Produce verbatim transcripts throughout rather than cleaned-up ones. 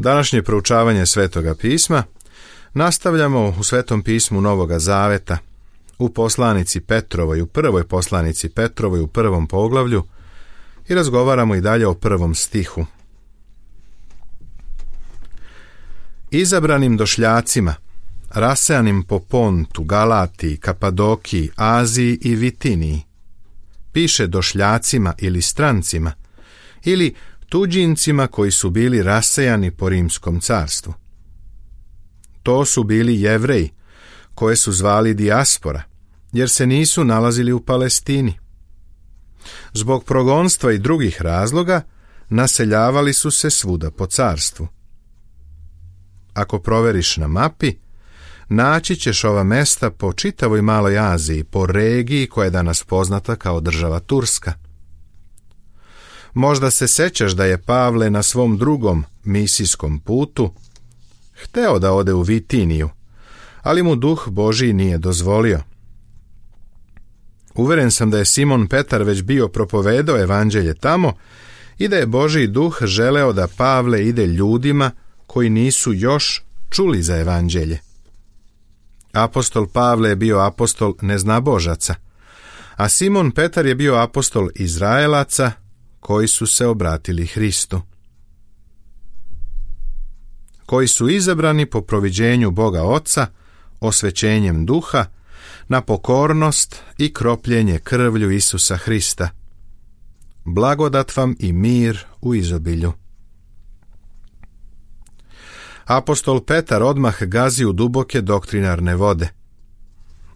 Današnje proučavanje Svetoga pisma nastavljamo u Svetom pismu Novoga Zaveta, u poslanici Petrovoj, u prvoj poslanici Petrovoj, u prvom poglavlju, i razgovaramo i dalje o prvom stihu. Izabranim došljacima, rasejanim po Pontu, Galatiji, Kapadokiji, Aziji i Vitiniji, piše došljacima ili strancima, ili tuđincima koji su bili rasejani po Rimskom carstvu. To su bili Jevreji, koje su zvali dijaspora, jer se nisu nalazili u Palestini. Zbog progonstva i drugih razloga naseljavali su se svuda po carstvu. Ako proveriš na mapi, naći ćeš ova mesta po čitavoj Maloj Aziji, po regiji koja je danas poznata kao država Turska. Možda se sećaš da je Pavle na svom drugom misijskom putu hteo da ode u Vitiniju, ali mu Duh Božji nije dozvolio. Uveren sam da je Simon Petar već bio propovedao evanđelje tamo i da je Božji Duh želeo da Pavle ide ljudima koji nisu još čuli za evanđelje. Apostol Pavle je bio apostol neznabožaca, a Simon Petar je bio apostol Izraelaca koji su se obratili Hristu, koji su izabrani po proviđenju Boga Oca, osvećenjem duha, na pokornost i kropljenje krvlju Isusa Hrista. Blagodat vam i mir u izobilju. Apostol Petar odmah gazi u duboke doktrinarne vode.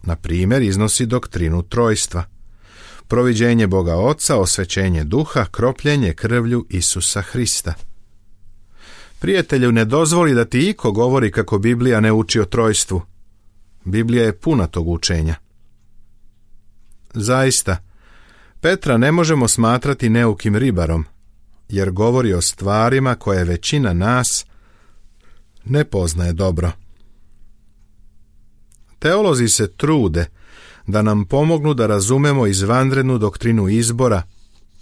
Na primjer, iznosi doktrinu trojstva: proviđenje Boga Oca, osvećenje duha, kropljenje krvlju Isusa Hrista. Prijatelju, ne dozvoli da ti iko govori kako Biblija ne uči o trojstvu. Biblija je puna tog učenja. Zaista, Petra ne možemo smatrati neukim ribarom, jer govori o stvarima koje većina nas ne poznaje dobro. Teolozi se trude da nam pomognu da razumemo izvanrednu doktrinu izbora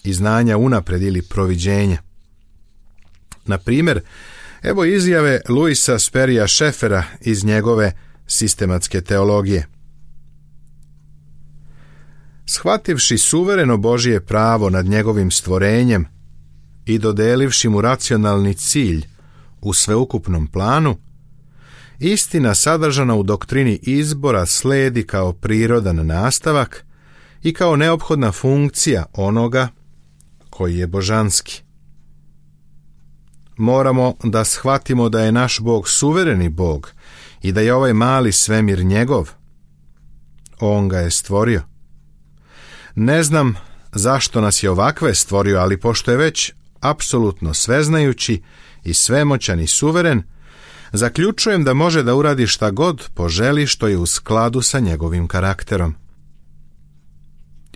i znanja unapred ili proviđenja. Na primjer, evo izjave Louisa Sperrya Scheffera iz njegove sistematske teologije. Shvativši suvereno Božje pravo nad njegovim stvorenjem i dodelivši mu racionalni cilj u sveukupnom planu, istina sadržana u doktrini izbora sledi kao prirodan nastavak i kao neophodna funkcija onoga koji je božanski. Moramo da shvatimo da je naš Bog suvereni Bog i da je ovaj mali svemir njegov. On ga je stvorio. Ne znam zašto nas je ovakve stvorio, ali pošto je već apsolutno sveznajući i svemoćan i suveren, zaključujem da može da uradi šta god poželi što je u skladu sa njegovim karakterom.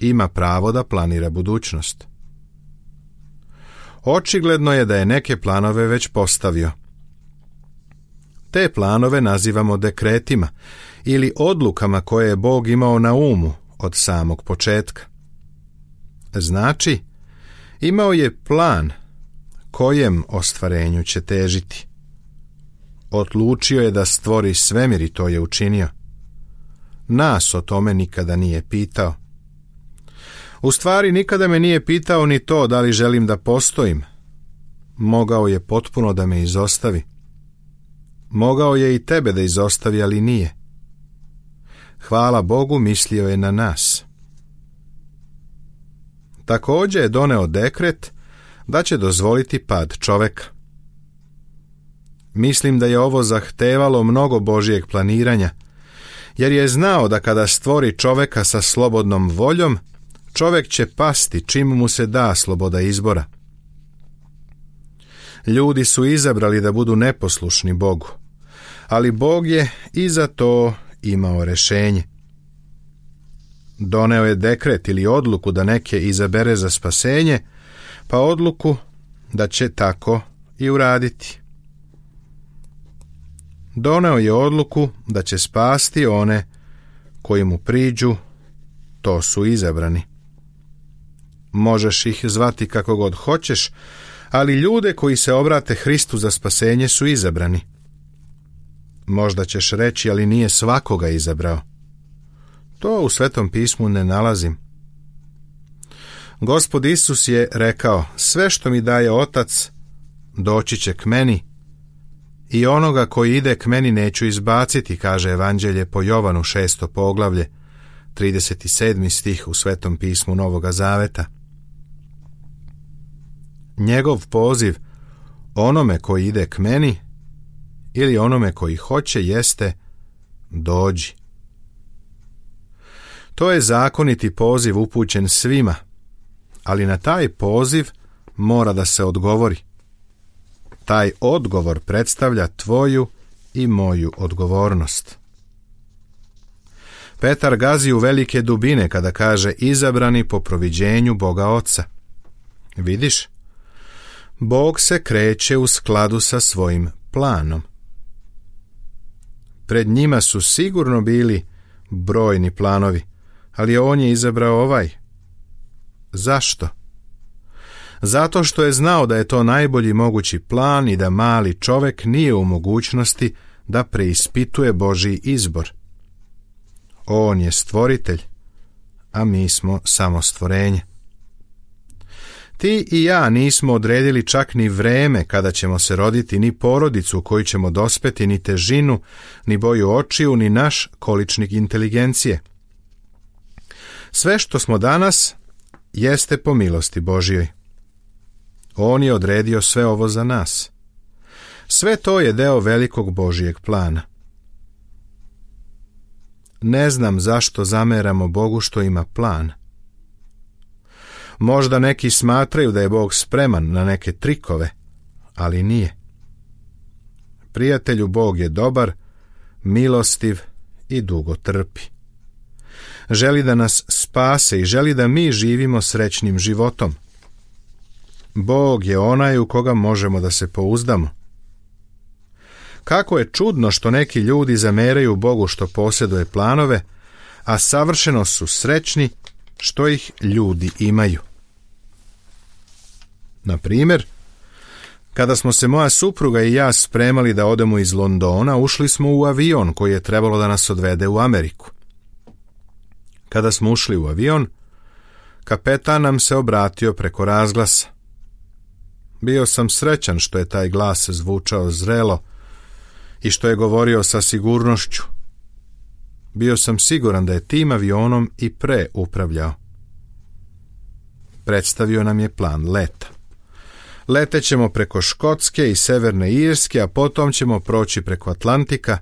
Ima pravo da planira budućnost. Očigledno je da je neke planove već postavio. Te planove nazivamo dekretima ili odlukama koje je Bog imao na umu od samog početka. Znači, imao je plan kojem ostvarenju će težiti. Odlučio je da stvori svemir i to je učinio. Nas o tome nikada nije pitao. U stvari, nikada me nije pitao ni to da li želim da postojim. Mogao je potpuno da me izostavi. Mogao je i tebe da izostavi, ali nije. Hvala Bogu, mislio je na nas. Također je doneo dekret da će dozvoliti pad čoveka. Mislim da je ovo zahtevalo mnogo Božjeg planiranja, jer je znao da kada stvori čoveka sa slobodnom voljom, čovek će pasti čim mu se da sloboda izbora. Ljudi su izabrali da budu neposlušni Bogu, ali Bog je i za to imao rešenje. Doneo je dekret ili odluku da neke izabere za spasenje, pa odluku da će tako i uraditi. Doneo je odluku da će spasti one koji mu priđu, to su izabrani. Možeš ih zvati kako god hoćeš, ali ljude koji se obrate Hristu za spasenje su izabrani. Možda ćeš reći, ali nije svakoga izabrao. To u Svetom pismu ne nalazim. Gospod Isus je rekao, sve što mi daje Otac, doći će k meni, i onoga koji ide k meni neću izbaciti, kaže Evanđelje po Jovanu šesto poglavlje, trideset sedmi stih u Svetom pismu Novoga Zaveta. Njegov poziv onome koji ide k meni ili onome koji hoće jeste dođi. To je zakoniti poziv upućen svima, ali na taj poziv mora da se odgovori. Taj odgovor predstavlja tvoju i moju odgovornost. Petar gazi u velike dubine kada kaže izabrani po proviđenju Boga Oca. Vidiš? Bog se kreće u skladu sa svojim planom. Pred njima su sigurno bili brojni planovi, ali on je izabrao ovaj. Zašto? Zato što je znao da je to najbolji mogući plan i da mali čovek nije u mogućnosti da preispituje Božji izbor. On je stvoritelj, a mi smo samo stvorenje. Ti i ja nismo odredili čak ni vreme kada ćemo se roditi, ni porodicu u koju ćemo dospeti, ni težinu, ni boju očiju, ni naš količnik inteligencije. Sve što smo danas jeste po milosti Božjoj. On je odredio sve ovo za nas. Sve to je deo velikog Božjeg plana. Ne znam zašto zameramo Bogu što ima plan. Možda neki smatraju da je Bog spreman na neke trikove, ali nije. Prijatelju, Bog je dobar, milostiv i dugo trpi. Želi da nas spase i želi da mi živimo srećnim životom. Bog je onaj u koga možemo da se pouzdamo. Kako je čudno što neki ljudi zameraju Bogu što posjeduje planove, a savršeno su srećni što ih ljudi imaju. Na primjer, kada smo se moja supruga i ja spremali da odemo iz Londona, ušli smo u avion koji je trebalo da nas odvede u Ameriku. Kada smo ušli u avion, kapetan nam se obratio preko razglasa. Bio sam srećan što je taj glas zvučao zrelo i što je govorio sa sigurnošću. Bio sam siguran da je tim avionom i pre upravljao. Predstavio nam je plan leta. Letećemo preko Škotske i Severne Irske, a potom ćemo proći preko Atlantika,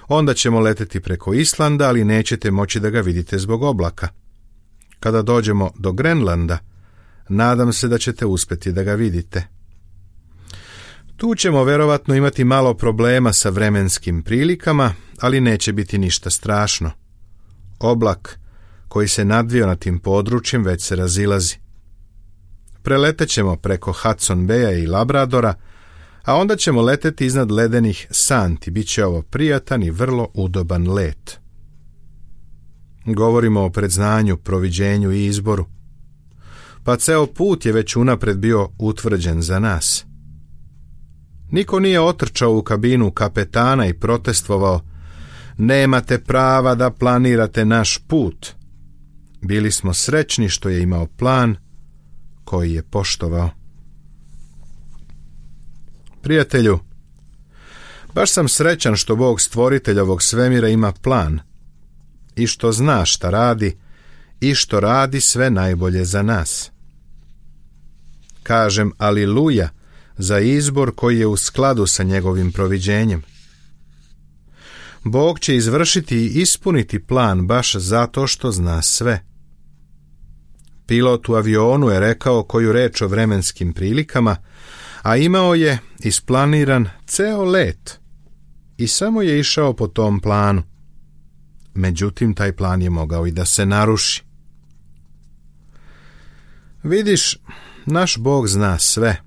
onda ćemo leteti preko Islanda, ali nećete moći da ga vidite zbog oblaka. Kada dođemo do Grenlanda, nadam se da ćete uspjeti da ga vidite. Tu ćemo verovatno imati malo problema sa vremenskim prilikama, ali neće biti ništa strašno. Oblak koji se nadvio na tim područjem već se razilazi. Preletećemo preko Hudson Baya i Labradora, a onda ćemo leteti iznad ledenih santi. Biće ovo prijatan i vrlo udoban let. Govorimo o predznanju, proviđenju i izboru. Pa ceo put je već unapred bio utvrđen za nas. Niko nije otrčao u kabinu kapetana i protestvovao: nemate prava da planirate naš put. Bili smo srećni što je imao plan koji je poštovao. Prijatelju, baš sam srećan što Bog stvoritelj ovog svemira ima plan i što zna šta radi i što radi sve najbolje za nas. Kažem aliluja za izbor koji je u skladu sa njegovim proviđenjem. Bog će izvršiti i ispuniti plan baš zato što zna sve. Pilot u avionu je rekao koju reč o vremenskim prilikama, a imao je isplaniran ceo let i samo je išao po tom planu. Međutim, taj plan je mogao i da se naruši. Vidiš, naš Bog zna sve.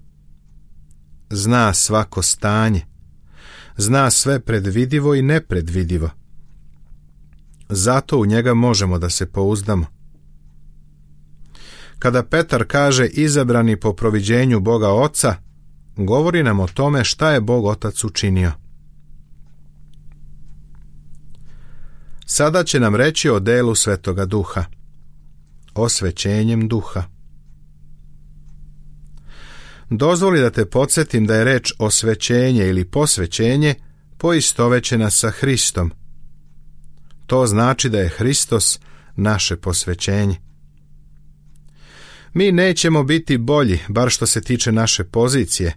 Zna svako stanje. Zna sve predvidivo i nepredvidivo. Zato u njega možemo da se pouzdamo. Kada Petar kaže izabrani po proviđenju Boga Oca, govori nam o tome šta je Bog Otac učinio. Sada će nam reći o delu Svetoga Duha, osvećenjem duha. Dozvoli da te podsjetim da je reč osvećenje ili posvećenje poistovećena sa Hristom. To znači da je Hristos naše posvećenje. Mi nećemo biti bolji, bar što se tiče naše pozicije,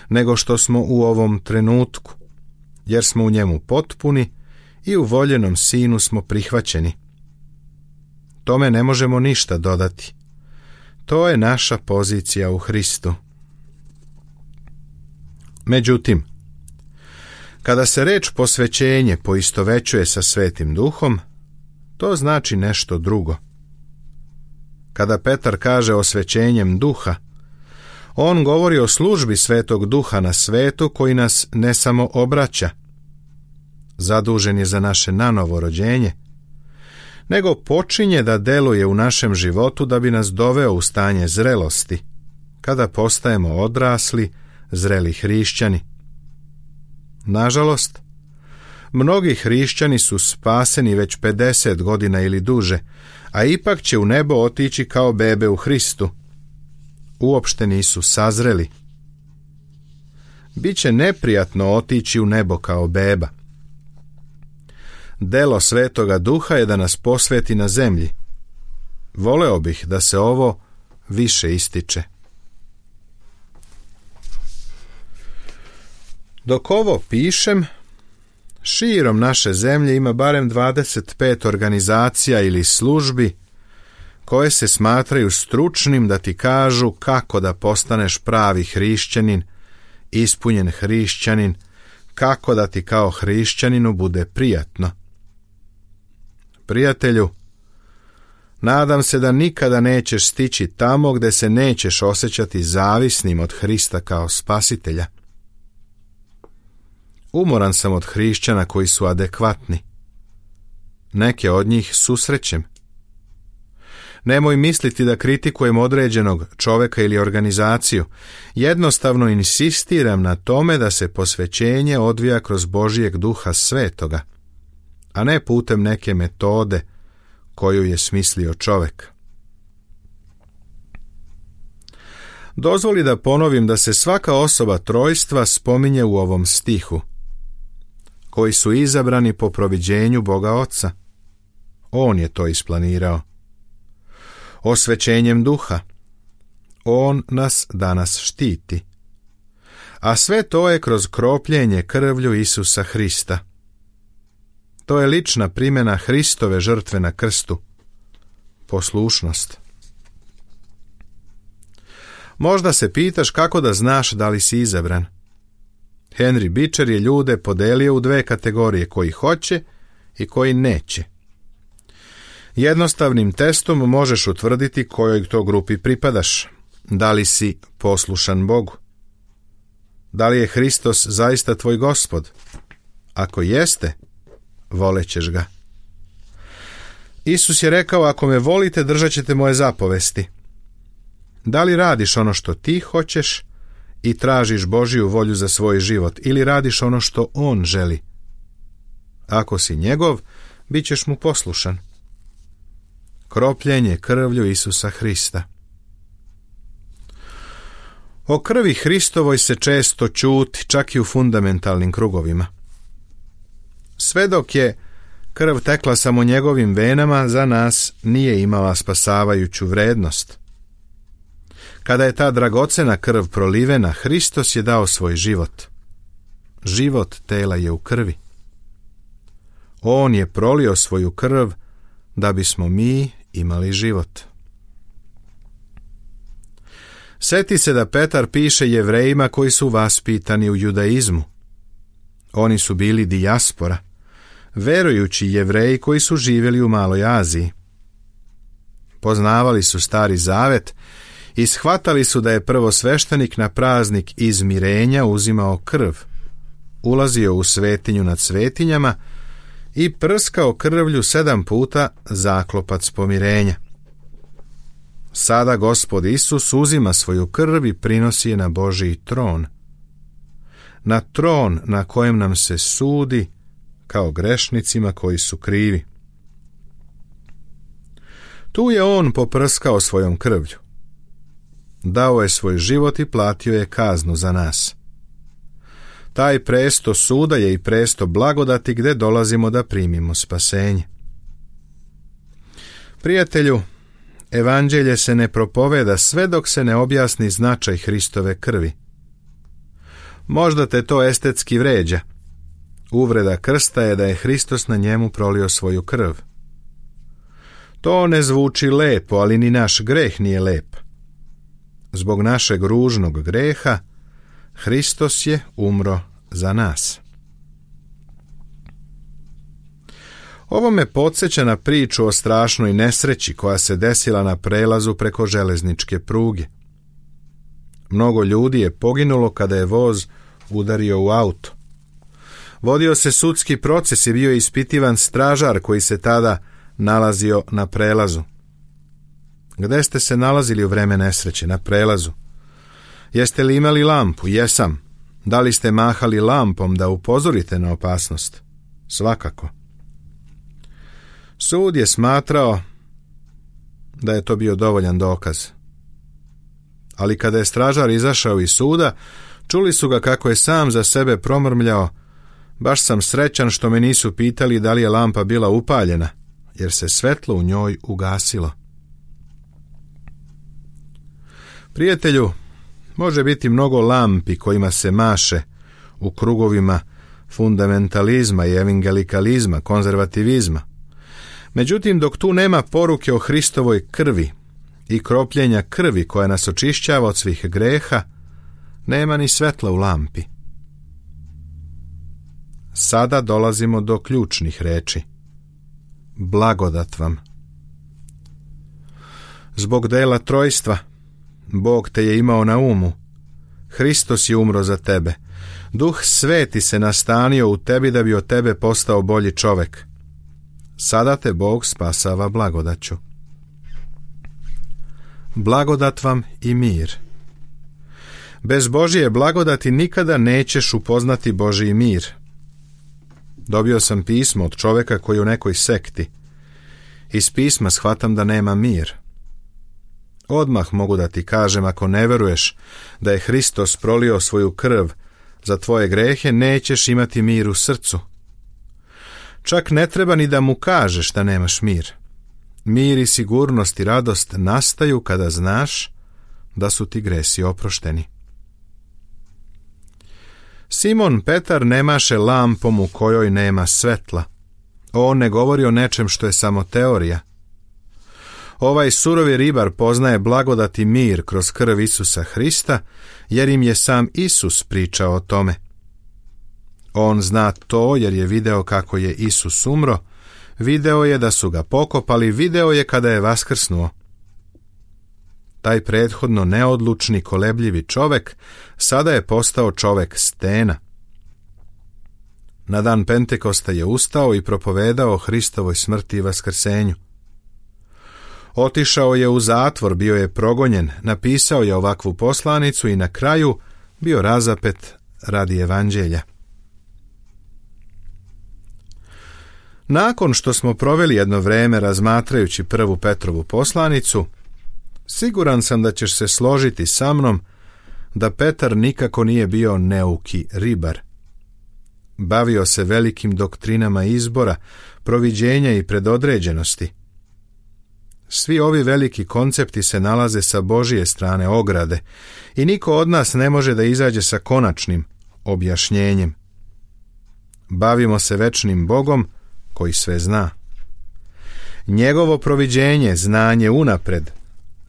nego što smo u ovom trenutku, jer smo u njemu potpuni i u voljenom Sinu smo prihvaćeni. Tome ne možemo ništa dodati. To je naša pozicija u Hristu. Međutim, kada se reč posvećenje poistovećuje sa Svetim Duhom, to znači nešto drugo. Kada Petar kaže osvećenjem duha, on govori o službi Svetog Duha na svetu koji nas ne samo obraća, zadužen je za naše nanovo rođenje, nego počinje da deluje u našem životu da bi nas doveo u stanje zrelosti, kada postajemo odrasli, zreli hrišćani. Nažalost, mnogi hrišćani su spaseni već pedeset godina ili duže, a ipak će u nebo otići kao bebe u Hristu. Uopšte nisu sazreli. Biće neprijatno otići u nebo kao beba. Delo Svetoga Duha je da nas posveti na zemlji. Voleo bih da se ovo više ističe. Dok ovo pišem, širom naše zemlje ima barem dvadeset pet organizacija ili službi koje se smatraju stručnim da ti kažu kako da postaneš pravi hrišćanin, ispunjen hrišćanin, kako da ti kao hrišćaninu bude prijatno. Prijatelju, nadam se da nikada nećeš stići tamo gde se nećeš osjećati zavisnim od Hrista kao spasitelja. Umoran sam od hrišćana koji su adekvatni. Neke od njih susrećem. Nemoj misliti da kritikujem određenog čoveka ili organizaciju. Jednostavno insistiram na tome da se posvećenje odvija kroz Božijeg Duha Svetoga, a ne putem neke metode koju je smislio čovek. Dozvoli da ponovim da se svaka osoba trojstva spominje u ovom stihu, koji su izabrani po proviđenju Boga Oca. On je to isplanirao. Osvećenjem duha. On nas danas štiti. A sve to je kroz kropljenje krvlju Isusa Hrista. To je lična primjena Hristove žrtve na krstu. Poslušnost. Možda se pitaš kako da znaš da li si izabran. Henry Beecher je ljude podelio u dve kategorije, koji hoće i koji neće. Jednostavnim testom možeš utvrditi kojoj to grupi pripadaš. Da li si poslušan Bogu? Da li je Hristos zaista tvoj Gospod? Ako jeste, volećeš ga. Isus je rekao, ako me volite, držat ćete moje zapovesti. Da li radiš ono što ti hoćeš i tražiš Božiju volju za svoj život, ili radiš ono što On želi? Ako si njegov, bit ćeš mu poslušan. Kropljenje krvlju Isusa Hrista. O krvi Hristovoj se često ćuti, čak i u fundamentalnim krugovima. Sve dok je krv tekla samo njegovim venama, za nas nije imala spasavajuću vrednost. Kada je ta dragocena krv prolivena, Hristos je dao svoj život. Život tela je u krvi. On je prolio svoju krv da bismo mi imali život. Sjeti se da Petar piše Jevrejima koji su vaspitani u judaizmu. Oni su bili dijaspora, verujući Jevreji koji su živjeli u Maloj Aziji. Poznavali su Stari Zavet i shvatali su da je prvosveštenik na praznik izmirenja uzimao krv, ulazio u svetinju nad svetinjama i prskao krvlju sedam puta zaklopac pomirenja. Sada Gospod Isus uzima svoju krv i prinosi je na Božiji tron. na tron na kojem nam se sudi kao grešnicima koji su krivi. Tu je on poprskao svojom krvlju. Dao je svoj život i platio je kaznu za nas. Taj presto suda je i presto blagodati gdje dolazimo da primimo spasenje. Prijatelju, evanđelje se ne propoveda sve dok se ne objasni značaj Hristove krvi. Možda te to estetski vređa. Uvreda krsta je da je Hristos na njemu prolio svoju krv. To ne zvuči lepo, ali ni naš greh nije lep. Zbog našeg ružnog greha Hristos je umro za nas. Ovo me podsjeća na priču o strašnoj nesreći koja se desila na prelazu preko železničke pruge. Mnogo ljudi je poginulo kada je voz udario u auto. Vodio se sudski proces i bio je ispitivan stražar koji se tada nalazio na prelazu. Gde ste se nalazili u vreme nesreće? Na prelazu. Jeste li imali lampu? Jesam. Da li ste mahali lampom da upozorite na opasnost? Svakako. Sud je smatrao da je to bio dovoljan dokaz. Ali kada je stražar izašao iz suda, čuli su ga kako je sam za sebe promrmljao: baš sam srećan što me nisu pitali da li je lampa bila upaljena, jer se svetlo u njoj ugasilo. Prijatelju, može biti mnogo lampi kojima se maše u krugovima fundamentalizma i evangelikalizma, konzervativizma. Međutim, dok tu nema poruke o Hristovoj krvi i kropljenja krvi koja nas očišćava od svih greha, nema ni svetla u lampi. Sada dolazimo do ključnih reči. Blagodat vam. Zbog dela trojstva, Bog te je imao na umu. Hristos je umro za tebe. Duh Sveti se nastanio u tebi da bi od tebe postao bolji čovek. Sada te Bog spasava blagodaću. Blagodat vam i mir. Bez Božije blagodati nikada nećeš upoznati Božji mir. Dobio sam pismo od čoveka koji je u nekoj sekti. Iz pisma shvatam da nema mir. Odmah mogu da ti kažem, ako ne veruješ da je Hristos prolio svoju krv za tvoje grehe, nećeš imati mir u srcu. Čak ne treba ni da mu kažeš da nemaš mir. Mir i sigurnost i radost nastaju kada znaš da su ti gresi oprošteni. Simon Petar ne maše lampom u kojoj nema svetla. On ne govori o nečem što je samo teorija. Ovaj surovi ribar poznaje blagodat i mir kroz krv Isusa Hrista, jer im je sam Isus pričao o tome. On zna to jer je video kako je Isus umro, video je da su ga pokopali, video je kada je vaskrsnuo. Taj prethodno neodlučni, kolebljivi čovek sada je postao čovek stena. Na dan Pentekosta je ustao i propovedao o Hristovoj smrti i vaskrsenju. Otišao je u zatvor, bio je progonjen, napisao je ovakvu poslanicu i na kraju bio razapet radi evanđelja. Nakon što smo proveli jedno vreme razmatrajući prvu Petrovu poslanicu, siguran sam da ćeš se složiti sa mnom da Petar nikako nije bio neuki ribar. Bavio se velikim doktrinama izbora, proviđenja i predodređenosti. Svi ovi veliki koncepti se nalaze sa Božije strane ograde i niko od nas ne može da izađe sa konačnim objašnjenjem. Bavimo se večnim Bogom koji sve zna. Njegovo proviđenje, znanje unapred,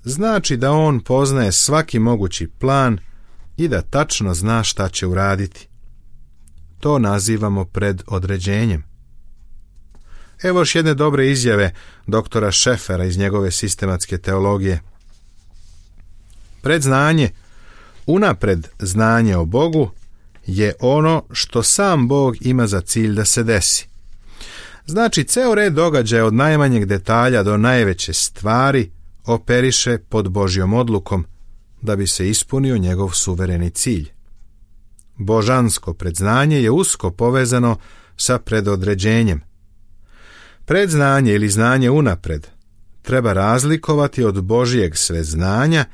znači da on poznaje svaki mogući plan i da tačno zna šta će uraditi. To nazivamo predodređenjem. Evo još jedne dobre izjave doktora Šefera iz njegove sistematske teologije. Predznanje, unapred znanje o Bogu, je ono što sam Bog ima za cilj da se desi. Znači, ceo red događaja od najmanjeg detalja do najveće stvari operiše pod Božjom odlukom da bi se ispunio njegov suvereni cilj. Božansko predznanje je usko povezano sa predodređenjem. Predznanje ili znanje unapred treba razlikovati od Božjeg sveznanja,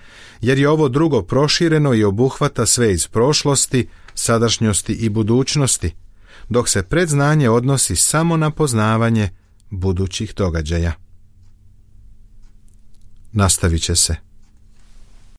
jer je ovo drugo prošireno i obuhvata sve iz prošlosti, sadašnjosti i budućnosti, dok se predznanje odnosi samo na poznavanje budućih događaja. Nastavit će se.